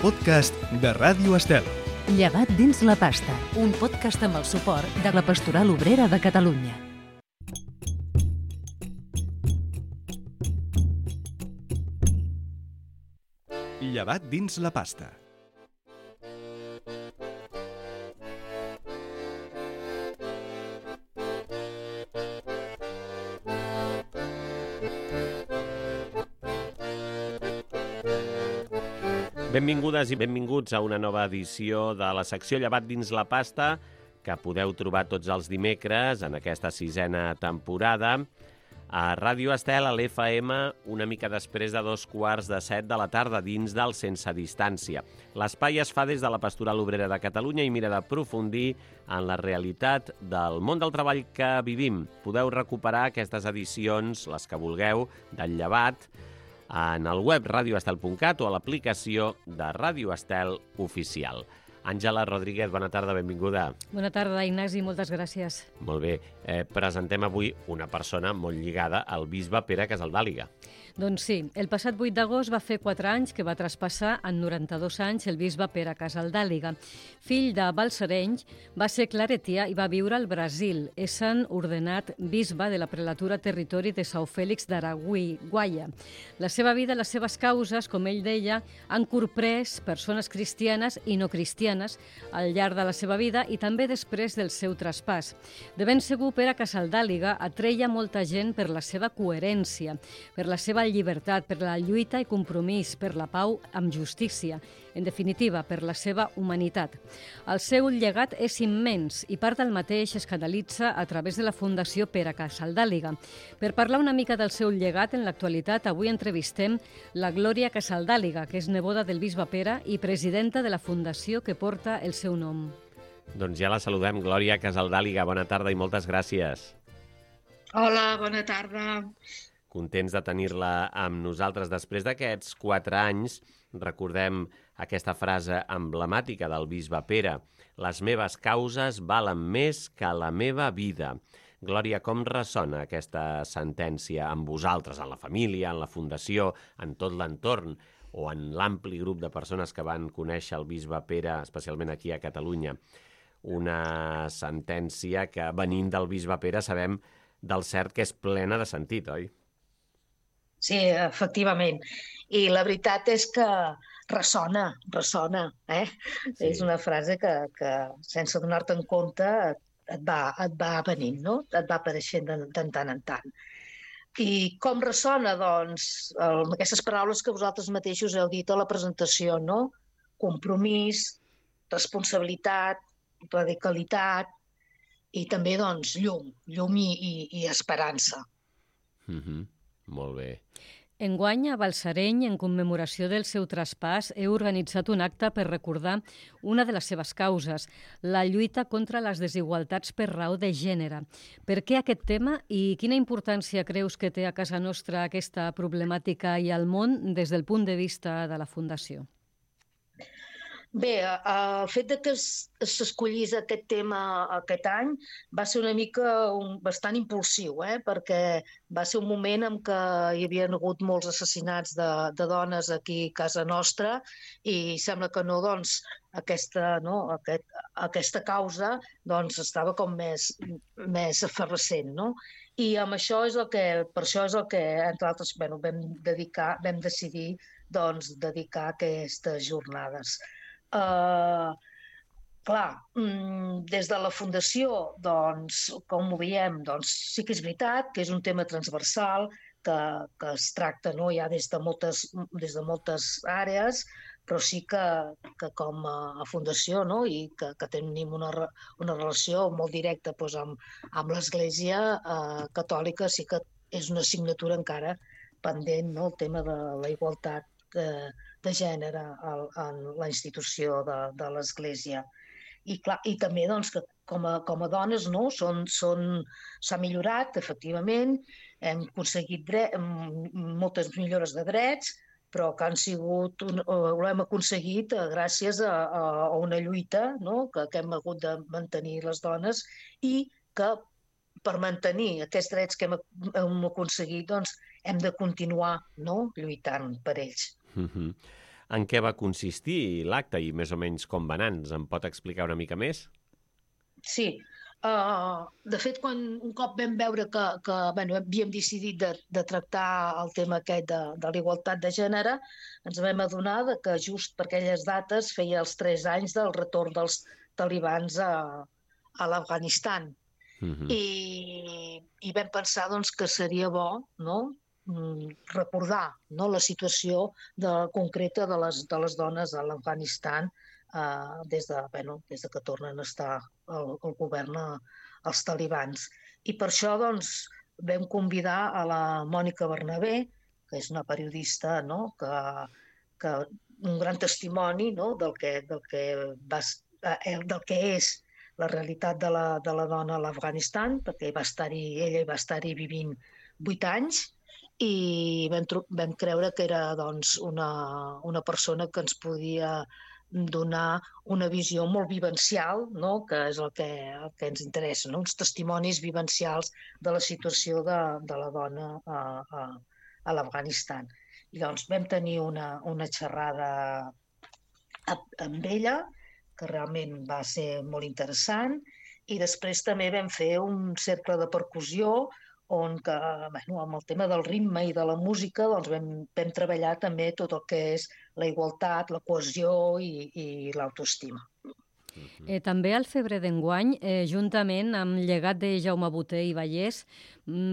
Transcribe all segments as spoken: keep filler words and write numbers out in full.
podcast de Ràdio Estel. Llevat dins la pasta, un podcast amb el suport de la Pastoral Obrera de Catalunya. Llevat dins la pasta. Benvingudes i benvinguts a una nova edició de la secció Llevat dins la pasta, que podeu trobar tots els dimecres en aquesta sisena temporada a Ràdio Estel, a l'F M, una mica després de dos quarts de set de la tarda, dins del Sense Distància. L'espai es fa des de la Pastoral Obrera de Catalunya i mira d'aprofundir en la realitat del món del treball que vivim. Podeu recuperar aquestes edicions, les que vulgueu, del Llevat, en el web radioestel punt cat o a l'aplicació de Ràdio Estel Oficial. Àngela Rodríguez, bona tarda, benvinguda. Bona tarda, Ignasi, moltes gràcies. Molt bé. Eh, presentem avui una persona molt lligada al bisbe Pere Casaldàliga. Doncs sí, el passat vuit d'agost va fer quatre anys que va traspassar en noranta-dos anys el bisbe Pere Casaldàliga. Fill de Balsareny, va ser claretià i va viure al Brasil, essent ordenat bisbe de la prelatura territori de São Félix d'Araguaia. La seva vida, les seves causes, com ell deia, han corprès persones cristianes i no cristianes al llarg de la seva vida i també després del seu traspàs. De ben segur, Pere Casaldàliga atreia molta gent per la seva coherència, per la seva llibertat, per la lluita i compromís, per la pau amb justícia, en definitiva, per la seva humanitat. El seu llegat és immens i part del mateix es canalitza a través de la Fundació Pere Casaldàliga. Per parlar una mica del seu llegat en l'actualitat, avui entrevistem la Glòria Casaldàliga, que és neboda del bisbe Pere i presidenta de la fundació que porta el seu nom. Doncs ja la saludem, Glòria Casaldàliga. Bona tarda i moltes gràcies. Hola, bona tarda. Contents de tenir-la amb nosaltres. Després d'aquests quatre anys, recordem aquesta frase emblemàtica del bisbe Pere: les meves causes valen més que la meva vida. Glòria, com ressona aquesta sentència amb vosaltres, en la família, en la fundació, en tot l'entorn, o en l'ampli grup de persones que van conèixer el bisbe Pere, especialment aquí a Catalunya? Una sentència que, venint del bisbe Pere, sabem del cert que és plena de sentit, oi? Sí, efectivament. I la veritat és que ressona, ressona. Eh? Sí. És una frase que, que sense donar-te en compte, et va, et va venint, no? Et va apareixent de, de tant en tant. I com ressona? Doncs, amb aquestes paraules que vosaltres mateixos heu dit a la presentació, no? Compromís, responsabilitat, radicalitat i també, doncs, llum, llum i, i, i esperança. Mm-hmm. Molt bé. Enguany, a Balsareny, en commemoració del seu traspàs, heu organitzat un acte per recordar una de les seves causes, la lluita contra les desigualtats per raó de gènere. Per què aquest tema i quina importància creus que té a casa nostra aquesta problemàtica i al món des del punt de vista de la Fundació? Bé, el fet de que s'escollís aquest tema aquest any va ser una mica un, bastant impulsiu, eh? Perquè va ser un moment en què hi havia hagut molts assassinats de, de dones aquí a casa nostra i sembla que no, doncs, aquesta, no, aquest, aquesta causa doncs, estava com més, més efervescent, no? I amb això és el que, per això és el que, entre altres, bueno, vam, dedicar, vam decidir doncs, dedicar aquestes jornades. Uh, clar, des de la Fundació, doncs, com ho veiem, doncs, sí que és veritat que és un tema transversal, que, que es tracta, no, ja des de moltes, des de moltes àrees, però sí que, que com a fundació, no, i que, que tenim una, una relació molt directa doncs, amb, amb l'Església eh, catòlica, sí que és una assignatura encara pendent, no, el tema de la igualtat de, de gènere en la institució de, de l'Església. I, clar, i també doncs, que com a, com a dones no, són, són, s'ha millorat, efectivament, hem aconseguit dret, moltes millores de drets, però que han sigut, un, ho hem aconseguit gràcies a, a una lluita, no, que, que hem hagut de mantenir les dones i que per mantenir aquests drets que hem, hem aconseguit doncs, hem de continuar, no, lluitant per ells. Mm-hmm. en què va consistir l'acte i més o menys com va anar. Ens en pot explicar una mica més? Sí. Uh, de fet, quan un cop vam veure que, que bueno, havíem decidit de, de tractar el tema aquest de, de la igualtat de gènere, ens vam adonar de que just per aquelles dates feia els tres anys del retorn dels talibans a, a l'Afganistan. Uh-huh. I, I vam pensar doncs, que seria bo, no?, recordar, no?, la situació de, concreta de les, de les dones a l'Afganistan Uh, des, de, bueno, des de que tornen a estar el, el govern a, als talibans. I per això doncs, vam convidar a la Mònica Bernabé, que és una periodista, no?, que, que un gran testimoni, no?, del, que, del, que va, eh, del que és la realitat de la, de la dona a l'Afganistan, perquè va estar-hi, ella hi va estar-hi vivint vuit anys, i vam, vam creure que era doncs, una, una persona que ens podia donar una visió molt vivencial, no?, que és el que, el que ens interessa, no?, uns testimonis vivencials de la situació de, de la dona a, a, a l'Afganistan. I doncs vam tenir una, una xerrada amb ella, que realment va ser molt interessant, i després també vam fer un cercle de percussió on que, bueno, amb el tema del ritme i de la música doncs vam, vam treballar també tot el que és la igualtat, la cohesió i, i l'autoestima. Eh, també al febrer d'enguany, eh, juntament amb Llegat de Jaume Boter i Vallès,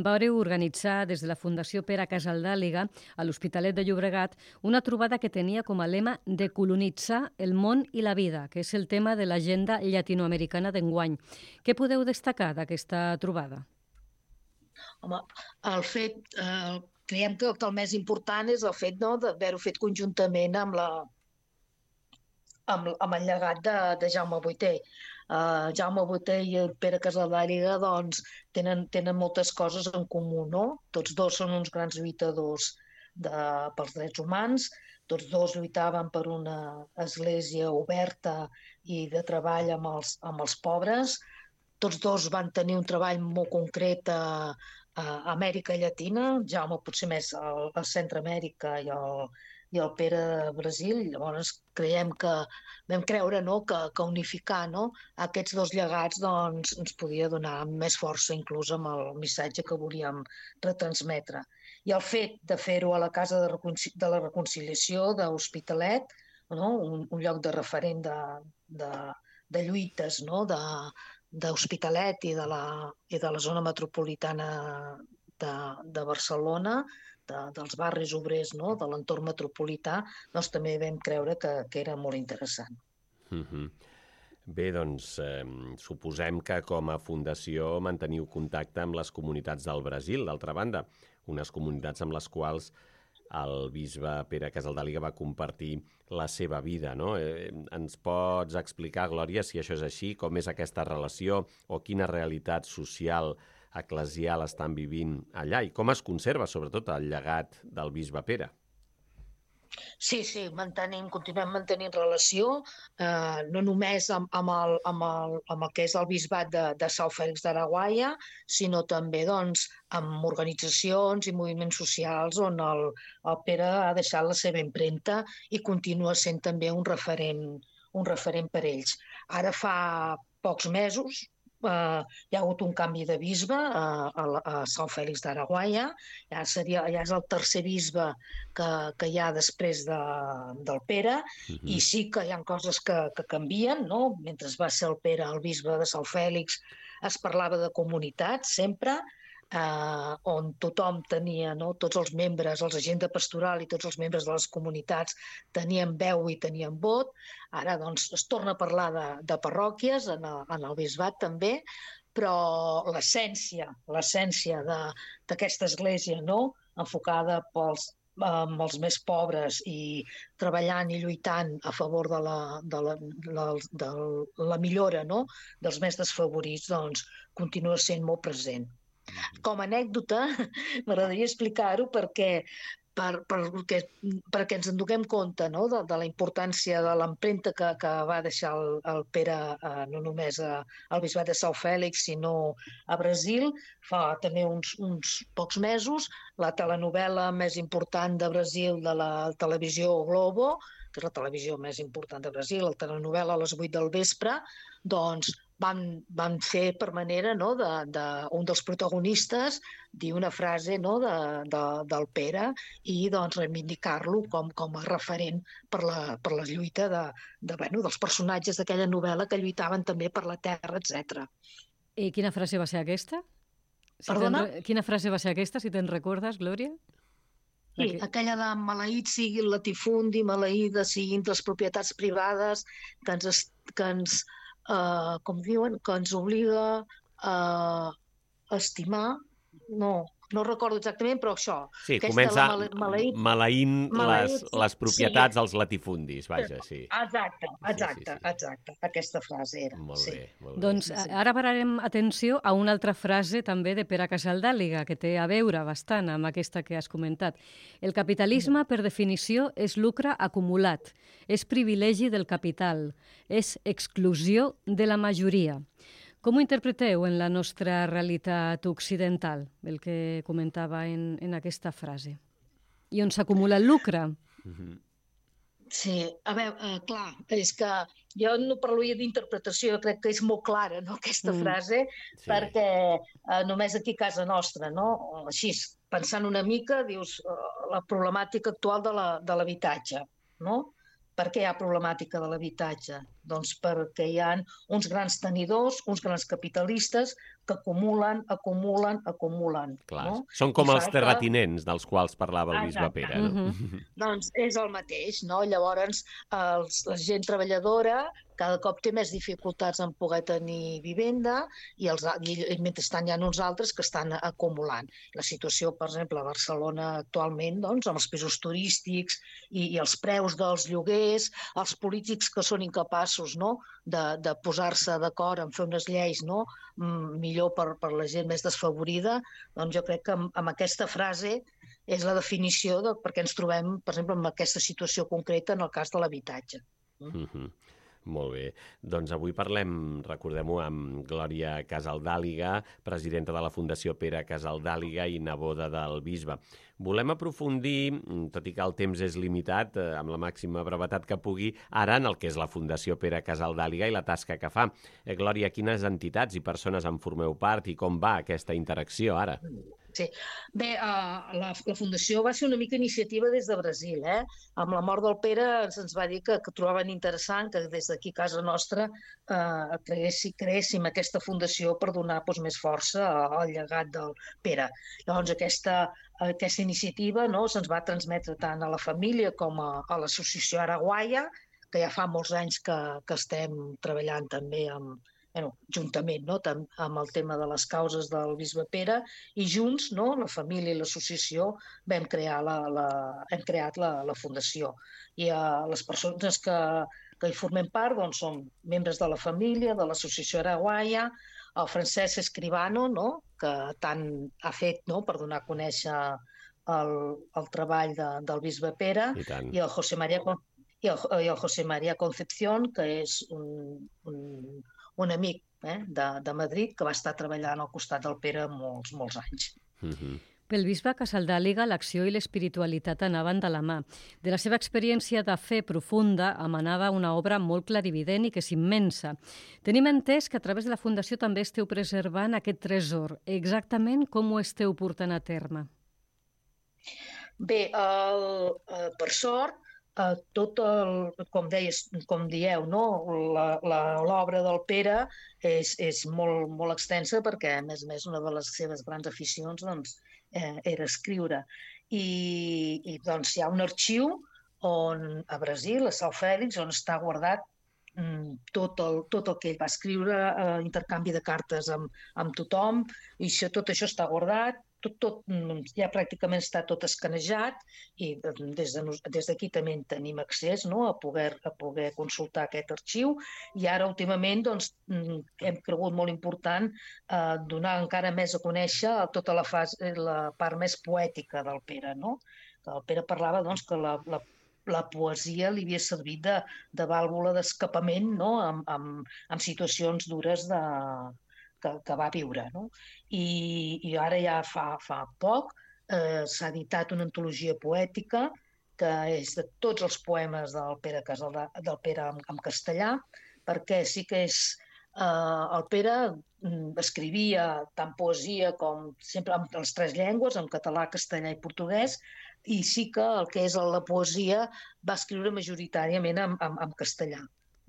vareu organitzar des de la Fundació Pere Casaldàliga a l'Hospitalet de Llobregat una trobada que tenia com a lema de colonitzar el món i la vida, que és el tema de l'agenda llatinoamericana d'enguany. Què podeu destacar d'aquesta trobada? Home, el fet, eh, creiem que el més important és el fet, no?, d'haver-ho fet conjuntament amb, la, amb, amb el llegat de, de Jaume Boter. Uh, Jaume Boter i el Pere Casaldàliga doncs, tenen, tenen moltes coses en comú, no? Tots dos són uns grans lluitadors de, pels drets humans, tots dos lluitaven per una església oberta i de treball amb els, amb els pobres. Tots dos van tenir un treball molt concret a, a Amèrica Llatina, Jaume potser més a, a Centroamèrica i el, i el Pere a Brasil. Llavors creiem que vam creure, no?, que, que unificar, no?, aquests dos llegats doncs, ens podia donar més força inclús amb el missatge que volíem retransmetre. I el fet de fer-ho a la Casa de, Reconcili- de la Reconciliació d'Hospitalet, no?, un, un lloc de referent de, de, de lluites, no?, de d'Hospitalet i de la, i de la zona metropolitana de, de Barcelona, de, dels barris obrers, no?, de l'entorn metropolità, doncs també vam creure que, que era molt interessant. Mm-hmm. Bé, doncs, eh, suposem que com a fundació manteniu contacte amb les comunitats del Brasil, d'altra banda, unes comunitats amb les quals el bisbe Pere Casaldàliga va compartir la seva vida, no? Eh, ens pots explicar, Glòria, si això és així, com és aquesta relació o quina realitat social eclesial estan vivint allà i com es conserva, sobretot, el llegat del bisbe Pere? Sí, sí, mantenim, continuem mantenint relació, eh, no només amb, amb, el, amb, el, amb el que és el bisbat de, de São Félix d'Araguaia, sinó també doncs, amb organitzacions i moviments socials on el, el Pere ha deixat la seva empremta i continua sent també un referent, un referent per ells. Ara fa pocs mesos, Uh, hi ha hagut un canvi de bisbe uh, a, a São Félix d'Araguaia, ja, seria, ja és el tercer bisbe que, que hi ha després de, del Pere, uh-huh. I sí que hi ha coses que, que canvien, no? Mentre va ser el Pere el bisbe de São Félix es parlava de comunitat sempre, Uh, on tothom tenia, no? Tots els membres, els agents de pastoral i tots els membres de les comunitats tenien veu i tenien vot. Ara doncs, es torna a parlar de, de parròquies en el, en el bisbat també, però l'essència, l'essència d'aquesta església, no? Enfocada pels, amb els més pobres i treballant i lluitant a favor de la, de la, de, de la millora, no? Dels més desfavorits, doncs continua sent molt present. Com a anècdota, m'agradaria explicar-ho perquè per, per, perquè, perquè ens en donem compte, no? de, de la importància de l'empremta que, que va deixar el, el Pere eh, no només a, al Bisbat de São Félix, sinó a Brasil, fa també uns, uns pocs mesos, la telenovel·la més important de Brasil de la televisió Globo, que és la televisió més important de Brasil, la telenovel·la a les vuit del vespre, doncs van, van fer per manera, no, de, de, un dels protagonistes dir una frase, no, de, de, del Pere i doncs reivindicar-lo com, com a referent per la, per la lluita de, de, bueno, dels personatges d'aquella novel·la que lluitaven també per la terra, etcètera. I quina frase va ser aquesta? Si Perdona? Quina frase va ser aquesta, si te'n recordes, Glòria? Sí, aquella de maleït sigui el latifundi, maleïdes siguin les propietats privades que ens, que ens uh, com diuen, que ens obliga a estimar, no, no recordo exactament, però això. Sí, comença male, maleït, maleint, maleït les, les propietats sí. als latifundis, vaja, sí. Exacte, exacte, sí, sí, sí. exacte, aquesta frase era. Molt sí. bé, molt bé. Doncs sí. Ara pararem atenció a una altra frase també de Pere Casaldàliga, que té a veure bastant amb aquesta que has comentat. El capitalisme, per definició, és lucre acumulat, és privilegi del capital, és exclusió de la majoria. Com ho interpreteu en la nostra realitat occidental, el que comentava en, en aquesta frase? I on s'acumula el lucre? Mm-hmm. Sí, a veure, eh, clar, és que jo no parlaria d'interpretació, crec que és molt clara, no, aquesta mm. frase, sí. perquè eh, només aquí a casa nostra, no? Així, pensant una mica, dius, eh, la problemàtica actual de l'habitatge, no? Per què hi ha problemàtica de l'habitatge? Doncs perquè hi ha uns grans tenidors, uns grans capitalistes que acumulen, acumulen, acumulen. Clar, no? Són com I els terratinents que... dels quals parlava el bisbe Pere. No? Mm-hmm. Doncs és el mateix, no? Llavors, els, la gent treballadora cada cop té més dificultats en poder tenir vivenda i, els, i mentrestant hi ha uns altres que estan acumulant. La situació, per exemple, a Barcelona actualment, doncs, amb els pisos turístics i, i els preus dels lloguers, els polítics que són incapaços, no?, de, de posar-se d'acord en fer unes lleis, no?, millor per, per la gent més desfavorida, doncs jo crec que amb, amb aquesta frase és la definició de per què ens trobem, per exemple, en aquesta situació concreta en el cas de l'habitatge. Mm-hmm. Molt bé. Doncs avui parlem, recordem-ho, amb Glòria Casaldàliga, presidenta de la Fundació Pere Casaldàliga i neboda del bisbe. Volem aprofundir, tot i que el temps és limitat, eh, amb la màxima brevetat que pugui, ara en el que és la Fundació Pere Casaldàliga i la tasca que fa. Eh, Glòria, quines entitats i persones en formeu part i com va aquesta interacció ara? Sí. Bé, uh, la, la Fundació va ser una mica iniciativa des de Brasil. Eh? Amb la mort del Pere ens va dir que, que trobaven interessant que des d'aquí a casa nostra uh, creéssim, creéssim aquesta fundació per donar doncs, més força al llegat del Pere. Llavors aquesta, aquesta iniciativa, no, se'ns va transmetre tant a la família com a, a l'associació Araguaia, que ja fa molts anys que, que estem treballant també amb Bueno, juntament, no? amb el tema de les causes del bisbe Pere, i junts, no? La família i l'associació vam crear la, la, hem creat la, la fundació. I uh, les persones que, que hi formem part doncs, són membres de la família, de l'associació Araguaia, el Francesc Escribano, no? Que tant ha fet, no? Per donar a conèixer el, el treball de, del bisbe Pere, i, i el José María, i el, i el José María Concepción, que és un, un un amic eh, de, de Madrid que va estar treballant al costat del Pere molts, molts anys. Mm-hmm. Pel bisbe Casaldàliga, l'acció i l'espiritualitat anaven de la mà. De la seva experiència de fe profunda emanava una obra molt clarivident i que és immensa. Tenim entès que a través de la Fundació també esteu preservant aquest tresor. Exactament com ho esteu portant a terme? Bé, el, eh, per sort, Uh, tot el, com deies, com dieu, no? L'obra del Pere és, és molt, molt extensa perquè, a més a més, una de les seves grans aficions doncs, eh, era escriure. I, i doncs, hi ha un arxiu on, a Brasil, a São Félix, on està guardat mm, tot, el, tot el que ell va escriure, eh, intercanvi de cartes amb, amb tothom, i això, tot això està guardat. Tot, tot, ja pràcticament està tot escanejat i des de, des d'aquí també en tenim accés, no? a, poder, a poder consultar aquest arxiu, i ara últimament doncs, hem cregut molt important eh, donar encara més a conèixer tota la, fase, la part més poètica del Pere, no? que el Pere parlava doncs, que la, la, la poesia li havia servit de, de vàlvula d'escapament, no? en, en, en situacions dures de, que, que va viure. No? I, I ara ja fa, fa poc eh, s'ha editat una antologia poètica que és de tots els poemes del Pere, Casaldà, del Pere en, en castellà, perquè sí que és... Eh, el Pere escrivia tant poesia com sempre en les tres llengües, en català, castellà i portuguès, i sí que el que és la poesia va escriure majoritàriament en, en, en castellà.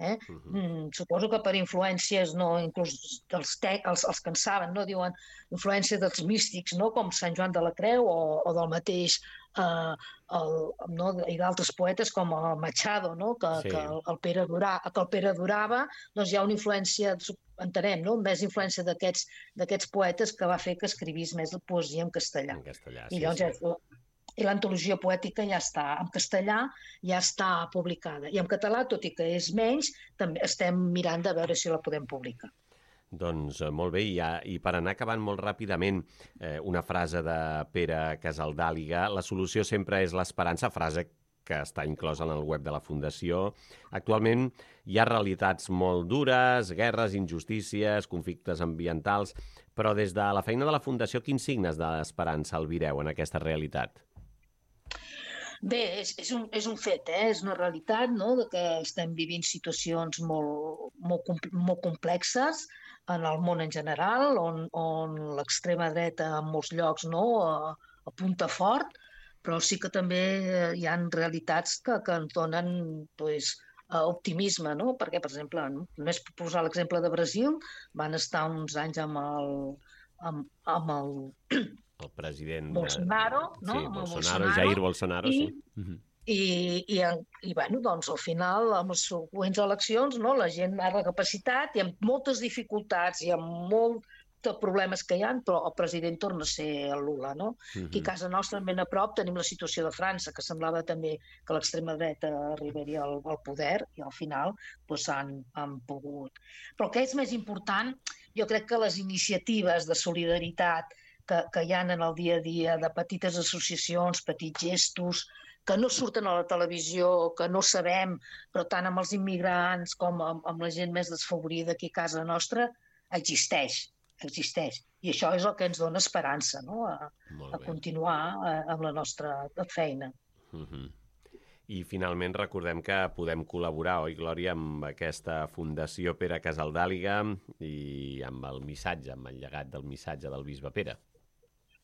Eh? Uh-huh. mm, suposo que per influències, no, inclús dels te, els, els que en saben, no, diuen influència dels místics, no, com Sant Joan de la Creu o, o del mateix eh, el, no, i d'altres poetes com el Machado, no, que, sí. que, el, el Pere Durà, que el Pere durava, doncs hi ha una influència, entenem, no, més influència d'aquests d'aquests poetes que va fer que escrivís més la poesia en castellà. En castellà, I sí, llavors, sí. I l'antologia poètica ja està, en castellà ja està publicada. I en català, tot i que és menys, també estem mirant de veure si la podem publicar. Doncs molt bé, i, ja, i per anar acabant molt ràpidament, eh, una frase de Pere Casaldàliga: la solució sempre és l'esperança, frase que està inclosa en el web de la Fundació. Actualment hi ha realitats molt dures, guerres, injustícies, conflictes ambientals, però des de la feina de la Fundació, quins signes d'esperança albireu en aquesta realitat? Bé, és, és, un, és un fet, eh? És una realitat, no?, de que estem vivint situacions molt, molt, molt complexes en el món en general, on, on l'extrema dreta en molts llocs, no?, apunta fort, però sí que també hi ha realitats que, que ens donen pues, optimisme, no? Perquè, per exemple, només per posar l'exemple de Brasil, van estar uns anys amb el... Amb, amb el el president Bolsonaro, no? Sí, amb Bolsonaro, Bolsonaro, Jair Bolsonaro, i, sí. Uh-huh. I, i, i bueno, doncs, al final, amb les següents eleccions, no, la gent ha recapacitat i amb moltes dificultats i amb molts problemes que hi ha, però el president torna a ser el Lula, no? Uh-huh. Aquí a casa nostra, ben a prop, tenim la situació de França, que semblava també que l'extrema dreta arribaria al, al poder i al final doncs, han, han pogut. Però el que és més important, jo crec que les iniciatives de solidaritat que, que hi ha en el dia a dia, de petites associacions, petits gestos, que no surten a la televisió, que no sabem, però tant amb els immigrants com amb, amb la gent més desfavorida aquí a casa nostra, existeix, existeix. I això és el que ens dona esperança, no?, a, a continuar a, amb la nostra feina. Uh-huh. I finalment recordem que podem col·laborar, oi, Glòria, amb aquesta Fundació Pere Casaldàliga i amb el missatge, amb el llegat del missatge del bisbe Pere.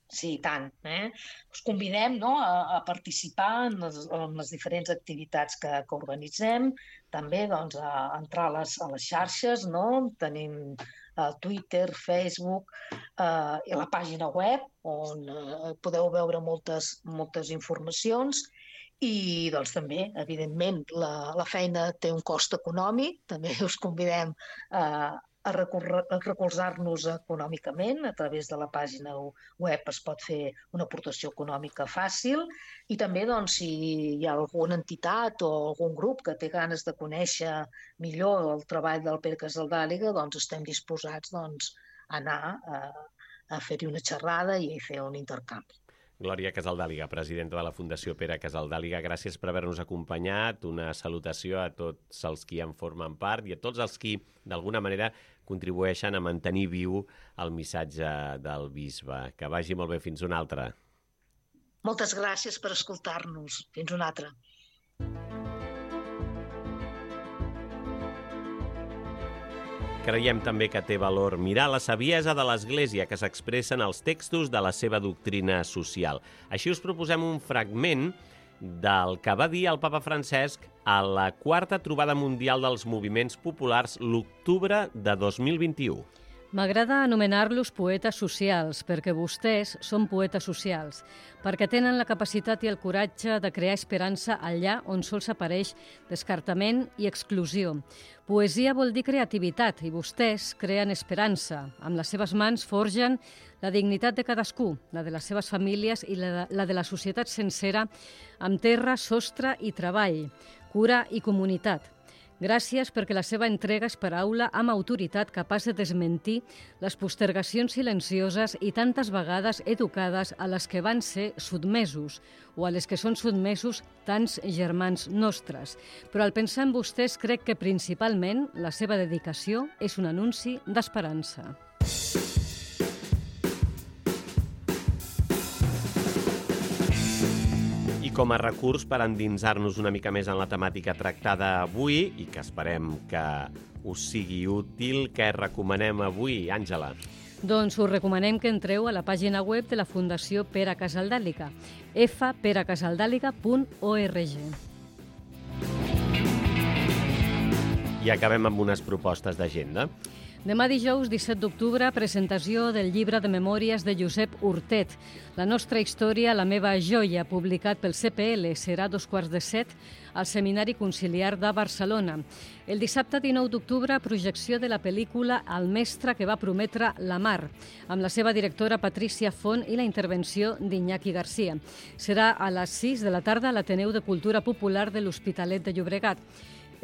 Sí, tant. Eh? Us convidem, no?, a, a participar en les, en les diferents activitats que, que organitzem, també doncs, a entrar a les, a les xarxes, no? Tenim uh, Twitter, Facebook uh, i la pàgina web on uh, podeu veure moltes, moltes informacions i doncs, també, evidentment, la, la feina té un cost econòmic, també us convidem a uh, a recolzar-nos econòmicament. A través de la pàgina web es pot fer una aportació econòmica fàcil i també doncs, si hi ha alguna entitat o algun grup que té ganes de conèixer millor el treball del Pere Casaldàliga, doncs estem disposats doncs, a anar a, a fer-hi una xerrada i a fer un intercanvi. Glòria Casaldàliga, presidenta de la Fundació Pere Casaldàliga, gràcies per haver-nos acompanyat. Una salutació a tots els qui en formen part i a tots els qui, d'alguna manera, contribueixen a mantenir viu el missatge del bisbe. Que vagi molt bé. Fins una altra. Moltes gràcies per escoltar-nos. Fins una altra. Creiem també que té valor mirar la saviesa de l'Església que s'expressa en els textos de la seva doctrina social. Així us proposem un fragment del que va dir el papa Francesc a la quarta trobada mundial dels moviments populars l'octubre de dos mil vint-i-u. M'agrada anomenar-los poetes socials, perquè vostès són poetes socials, perquè tenen la capacitat i el coratge de crear esperança allà on sols apareix descartament i exclusió. Poesia vol dir creativitat, i vostès creen esperança. Amb les seves mans forgen la dignitat de cadascú, la de les seves famílies i la de, la de la societat sencera, amb terra, sostre i treball, cura i comunitat. Gràcies perquè la seva entrega és paraula amb autoritat capaç de desmentir les postergacions silencioses i tantes vegades educades a les que van ser sotmesos o a les que són sotmesos tants germans nostres. Però al pensar en vostès crec que principalment la seva dedicació és un anunci d'esperança. I com a recurs per endinsar-nos una mica més en la temàtica tractada avui, i que esperem que us sigui útil, què recomanem avui, Àngela? Doncs us recomanem que entreu a la pàgina web de la Fundació Pere Casaldàliga, f pere casaldàliga punt org. I acabem amb unes propostes d'agenda. Demà dijous, disset d'octubre, presentació del llibre de memòries de Josep Hurtet. La nostra història, la meva joia, publicat pel C P L, serà a dos quarts de set al Seminari Conciliar de Barcelona. El dissabte dinou d'octubre, projecció de la pel·lícula El mestre que va prometre la mar, amb la seva directora Patrícia Font i la intervenció d'Iñaki Garcia. Serà a les sis de la tarda a l'Ateneu de Cultura Popular de l'Hospitalet de Llobregat.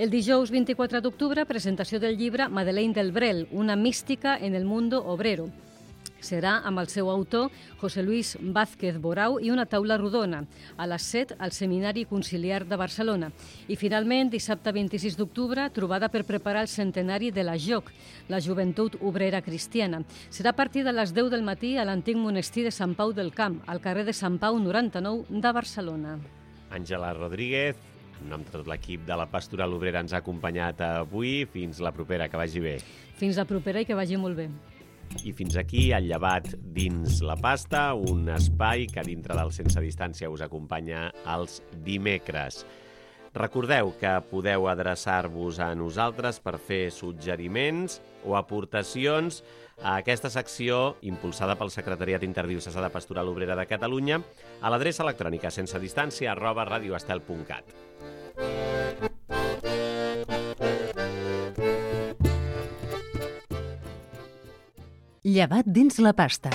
El dijous vint-i-quatre d'octubre, presentació del llibre Madeleine del Brel, una mística en el mundo obrero. Serà amb el seu autor, José Luis Vázquez Borau, i una taula rodona, a les set al Seminari Conciliar de Barcelona. I finalment, dissabte vint-i-sis d'octubre, trobada per preparar el centenari de la J O C, la Joventut Obrera Cristiana. Serà a partir de les deu del matí a l'antic monestir de Sant Pau del Camp, al carrer de Sant Pau noranta-nou de Barcelona. Àngela Rodríguez, en nom de tot l'equip de la Pastoral Obrera, ens ha acompanyat avui. Fins la propera, que vagi bé. Fins la propera i que vagi molt bé. I fins aquí el llevat dins la pasta, un espai que dintre del Sense Distància us acompanya els dimecres. Recordeu que podeu adreçar-vos a nosaltres per fer suggeriments o aportacions a aquesta secció impulsada pel Secretariat Interdiocesà de Pastoral Obrera de Catalunya a l'adreça electrònica sensedistància arroba radioestel punt cat. Llevat dins la pasta.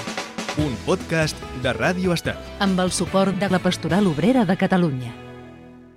Un podcast de Ràdio Estel. Amb el suport de la Pastoral Obrera de Catalunya.